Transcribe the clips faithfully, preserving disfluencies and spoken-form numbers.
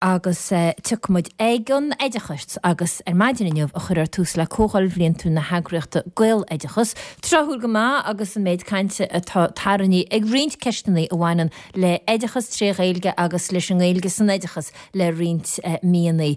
Agus tiocfaidh muid ag an oideachas agus ar maidin inniu a chuirfear tús le Comhdháil Bhliantúil na heagraíochta Gaeloideachas. Tráthúil go maith agus an méid cainte atá tarraingthe ag roinnt ceisteanna a bhaineann le hoideachas tré Ghaeilge agus leis an nGaeilge san oideachas le roinnt míonna.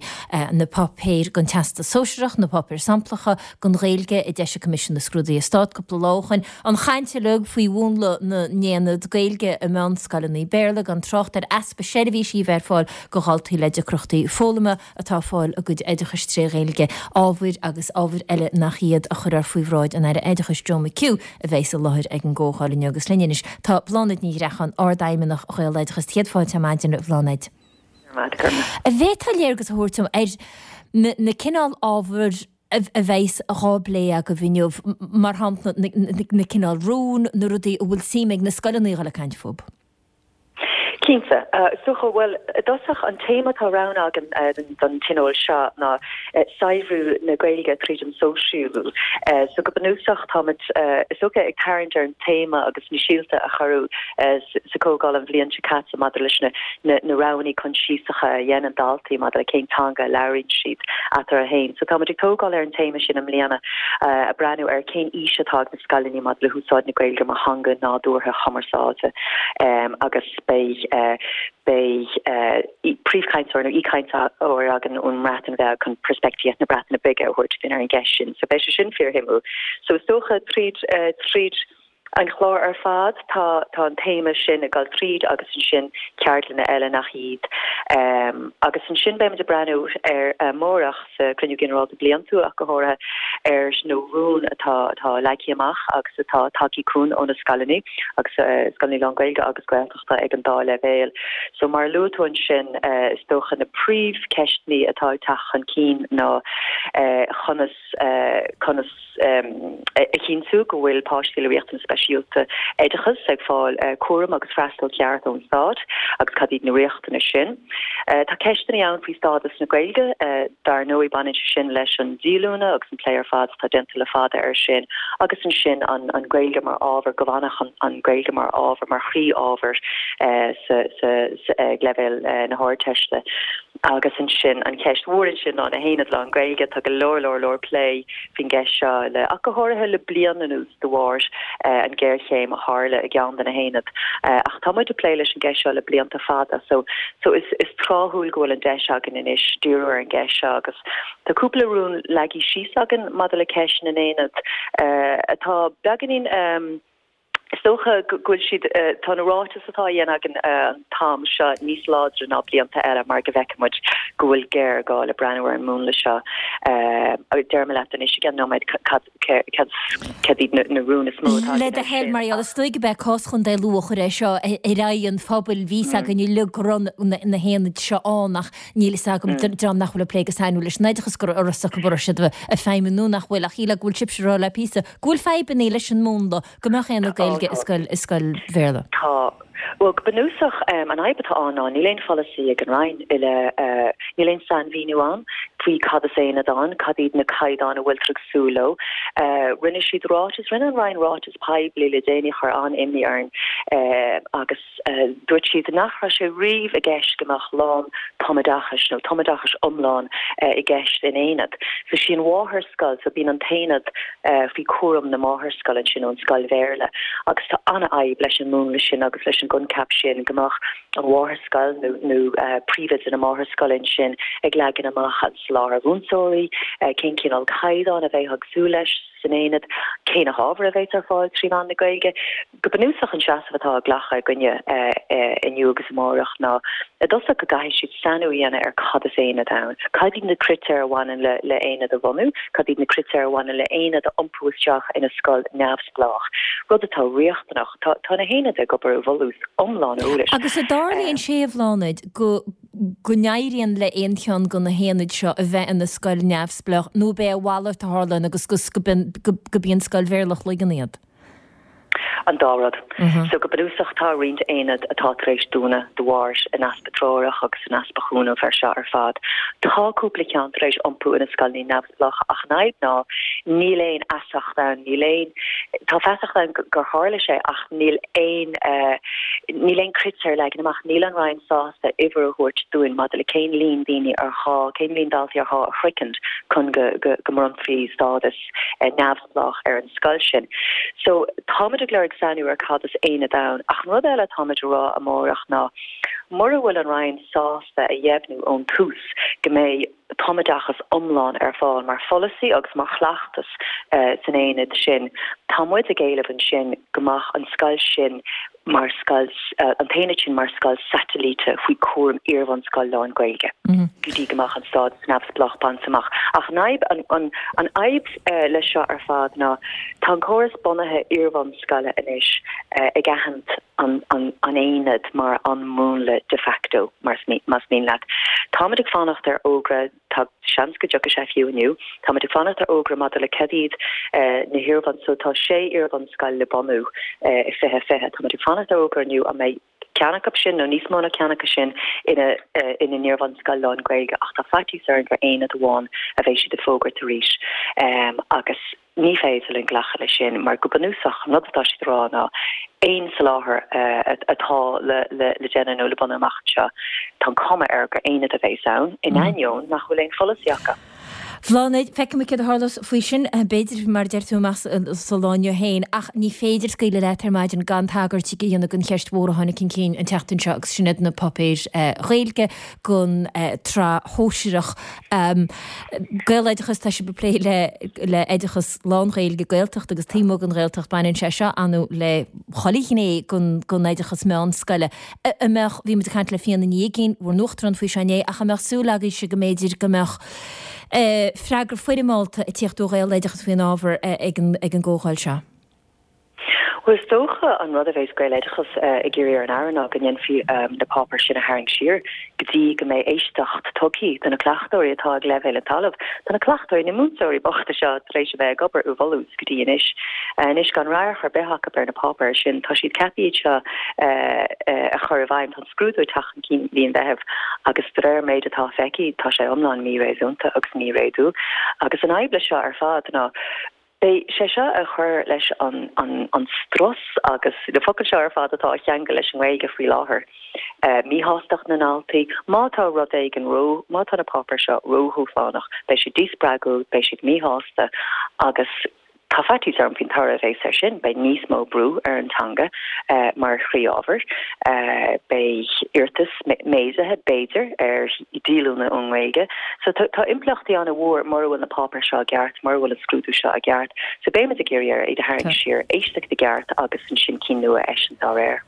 Na páipéir don Teastas Sóisearach, na páipéir samplacha don Ghaeilge a d'eisigh Coimisiún na Scrúduithe Stáit cúpla lá ó shoin, an chaint uilig faoi mhúnla na n-aonad Gaeilge i meánscoileanna Béarla, gan trácht ar easpa seirbhísí a bheith ar fáil do dhaltaí le deacrachtaí foghlama atá ag fáil a gcuid oideachais tré Ghaeilge, ábhair agus ábhair eile nach iad a chuirfear faoi bhráid an Aire Oideachais Joe McHugh a bheas i láthair ag an gcomhdháil inniu. Agus linn anois tá Bláthnaid Ní Ghreacháin, Ard-Fheidhmeannach Ghaeloideachas. Céad fáilte ar maidin, a Bhláthnaid. An bhféadfá léargas a thabhairt dom ar na cineál ábhair a bheas dhá bplé agaibh inniu, mar shampla na cineál rún, na rudaí a bhfuil suim ag na scoileanna a dhul ag caint fúthu? Cinnte. Is dócha, bhuel, i dtosach, an téama atá roghnaithe againn don tionól seo ná saibhriú na Gaeilge tríd an sóisialú. So go bunúsach táimid, is dócha, ag tarraingt ar an téama agus na síolta a cuireadh sa chomhdháil an bhliain seo caite maidir leis na na roghanna coinsiasacha a dhéanann daltaí maidir le cén teanga a labhraíonn siad eatarthu féin. So táimid ag tógáil ar an téama sin i mbliana, ag breathnú ar cén fhís atá ag na scoileanna maidir le húsáid na Gaeilge mar theanga nádúrtha chumarsáide agus beidh beidh príomhchainteoir nó aoichainteoir againn ón mBreatain Bheag chun peirspictíocht na Breataine Bige a thabhairt dúinn ar an gceist sin. So beidh sé sin fíorshuimiúil. So is dócha tríd tríd an chlár ar fad tá tá an téama sin ag dul tríd agus ansin ceardlanna eile nach iad. Agus ansin beimid ag breathnú ar amárach sa Chruinniú Ginearálta Bliantúil ach go háirithe ar na rúin atá atá leagtha amach agus atá tagtha chugainn ó na scoileanna agus scoileanna lán-Ghaeilge agus Gaeltachta ag an dá leibhéal. So mar a luaigh tú ansin is dócha na príomhcheisteanna atá ag teacht chun cinn ná conas conas a chinntiú go bhfuil páistí le riachtanais speisialta oideachais ag fáil cúram agus freastal ceart ón Stát agus cad iad na riachtanais sin. Tá ceisteanna ann faoi stádas na Gaeilge, dar ndóigh baineann sé sin leis an díolúine agus an plé ar fad atá déanta le fada air sin agus ansin an an Ghaeilge mar ábhar, go bhfanfadh an Ghaeilge mar ábhar, mar chroí-ábhar sa sa ag leibhéal na hArdteiste. Agus ansin an cheist mhór ansin ná na haonaid lán-Ghaeilge, tá go leor leor leor plé faoin gceist seo le, ach go háirithe le bliain anuas de bharr an ghéarchéim a tharla i gceann de na haonaid. Ach tá muid ag plé leis an gceist seo le blianta fada so so is is tráthúil go bhfuil an deis againn anois díriú ar an gceist seo agus tá cúpla rún leagtha síos againn maidir le ceist na n-aonad atá beagáinín Is dócha go bhfuil siad, tá na ráitis atá á dhéanamh againn an t-am seo níos láidre ná blianta eile mar go bhfeiceann muid go bhfuil géarghá le breathnú ar an múnla seo. Déarfaidh mé leat anois i gceann nóiméad cad cad iad na rúin is mó atá Le againn do air thoil, sin. mar gheall, is dóigh gurb é cás Chontae Lú a chuir é seo ar aghaidh an phobail. Bhí fhios againn uilig go raibh na haonaid seo ann ach níl fhios agam, dream nach bhfuil ag plé go sainiúil leis an oideachas, go raibh fhios acu an raibh siad ag feidhmiú nó nach bhfuil ach shílfeá go bhfuil sibhse ag rá le píosa go bhfuil fadhbanna leis an múnla Go mbeadh aonad Gaeilge i scoil, i scoil Bhéarla. Tá. Bhuel, go bunúsach, an fhadhb atá ann ná níl aon pholasaí ag an Roinn i leith, níl aon sainmhíniú ann faoi cad is aonad ann, cad iad na caighdeáin a bhfuiltear ag súil leo. Rinne siad ráiteas, rinne an Roinn ráiteas poiblí le déanaí a chuir an-imní orainn agus dúirt siad nach raibh sé riamh i gceist go mbeadh lán tumoideachais nó tumoideachais iomlán i gceist in aonad. So sí an mháthairscoil, so bíonn an t-aonad faoi chúram na máthairscoile ansin nó an scoil Bhéarla agus tá an-fhadhb leis an múnla sin agus leis an gcoincheap sin go mbeadh an mháthairscoil nó nó príomhoide na máthairscoile ansin ag leagan amach an soláthar mhúinteoirí, cén cineál caighdeán a bheifeá ag súil leis san aonad, cé na hábhair a bheas ar fáil trí mheán na Gaeilge. Go bunúsach an seasamh atá á ghlacadh againne inniu agus amárach ná i dtosach go gcaithfidh siad sainiú a dhéanamh ar cad is aonad ann, cad iad na critéir a bhaineann le le haonad a bhunú, cad iad na critéir a bhaineann le haonad a iompú isteach ina scoil neamhspleách, rud atá riachtanach. Tá tá na haonaid ag obair i bhfolús iomlán eolais. Agus an dtarlaíonn sé, a Bhláthnaid, go go n-éiríonn le aon cheann de na haonaid seo a bheith ina scoil neamhspleách nó ab é a mhalairt a tharlaíonn agus go go go b'í an scoil Bhéarla a shloigeann iad? An dá rud. So go bunúsach tá roinnt aonad atá tar éis dúnadh de bharr an easpa treorach agus an easpa cúnamh ar seo ar fad. Tá cúpla ceann tar éis iompú ina scoileanna neamhspleácha ach an fhadhb ná níl aon fheasacht ann, níl aon tá feasacht ann gur tharla sé ach níl aon níl aon critéir leagtha amach, níl an Roinn sásta uimhir a thabhairt dúinn maidir le cén líon daoine ar ghá, cén líon daltaí ar ghá a shroichint chun go go go mbronnfaí stádas neamhspleách ar an scoil sin. So táimid ag lorg sainiú ar cad is aonad ann, ach an rud eile táimid a rá amárach ná mura bhfuil an Roinn sásta a dheimhniú ón tús go mbeidh tumoideachas iomlán ar fáil mar pholasaí agus mar chleachtas san aonad sin, tá muid ag éileamh ansin go mbeadh an scoil sin mar scoil, an t-aonad sin mar scoil satailíte faoi chúram iarbhunscoil lán-Ghaeilge go dtí go mbeadh an stádas neamhspleách bainte amach. Ach an fhadhb, an fhadhb leis seo ar fad ná tá an córas bunaithe iarbhunscoile anois ag aithint an aonad mar an múnla de facto, más mian leat. Táimid ag fanacht ar fhógra, tá seans go dtiocfaidh sé fiú inniu, táimid ag fanacht ar fhógra maidir le cad iad na hiarbhun, so tá sé iarbhunscoil le bunú i fiche fiche, táimid ag fanacht ar fhógra inniu an mbeidh ceann acu sin nó níos mó ná ceann acu sin ina ina n-iarbhunscoil lán-Ghaeilge ach tá faitíos orainn gur aonad amháin a bheidh siad ag fógairt arís agus ní féidir linn glacadh leis sin mar go bunúsach an rud atá siad a rá ná aon soláthar atá le le déanamh nó le bunú amach anseo, tá an chuma air gur aonad a bheas ann, in ainneoin nach bhfuil aon pholasaí acu. Bláthnaid, feicfimid céard a tharlós faoi sin, b'fhéidir, mar a deir tú, amach sa lá inniu féin, ach ní féidir scaoileadh leat ar maidin gan tagairt a dhéanamh don cheist mhór a tháinig chun cinn an tseachtain seo agus sin iad na páipéir Ghaeilge don tsraith shóisearach. Gaeloideachas, tá sibh ag plé le le oideachas lán-Ghaeilge, Gaeltacht agus taobh amuigh den Ghaeltacht, baineann sé seo ar ndóigh le chuile ghné den den oideachas meánscoile. An mbeadh, bhí muid ag caint le Fíona Ní Uigín, bhur n-uachtarán faoi seo inné, ach an mbeadh súil agaibhse go mb'fhéidir go mbeadh freagra foirmeálta ag tíocht ó Ghaeloideachas faoin ábhar ag an gcomhdháil seo? Bhuel, is dócha an rud a bheas Gaeloideachas ag iarraidh ar an Aire ná go ndéanfaí na páipéir sin a tharraingt siar go dtí go mbeidh éisteacht tugtha do na cleachtóirí atá ag leibhéal an talaimh. Tá na cleachtóirí, na múinteoirí bochta seo tar éis a bheith ag obair i bhfolús go dtí anois. Anois gan radharc ar bith acu ar na páipéir sin, tá siad ceaptha iad seo a chur i bhfeidhm. Tá an scrúdú ag teacht chun cinn mí an Mheithimh agus de réir an méid atá feicthe, tá sé iomlán míréasúnta agus míréadúil. Agus an fhadhb leis seo ar fad ná beidh sé seo ag cur leis an an an strus agus na focail seo ar fad atá á cheangal leis an nGaeilge faoi láthair, míshástacht na ndaltaí, má tá rud éigin ró, má tá na páipéir seo ródhúshlánach, beidh siad díspreagúil, beidh siad míshásta agus Tá faitíos orm faoin toradh a bheas air sin, beidh níos mó brú ar an teanga mar chroí-ábhar, beidh iarratas méadaithe, b'fhéidir, ar dhíolúine ón nGaeilge. So tá impleachtaí an-mhór mura bhfuil na páipéir seo i gceart, mura bhfuil an scrúdú seo i gceart. So beimid ag iarraidh air iad a tharraingt siar, éisteacht i gceart agus ansin cinn nua a eisiúint dá réir.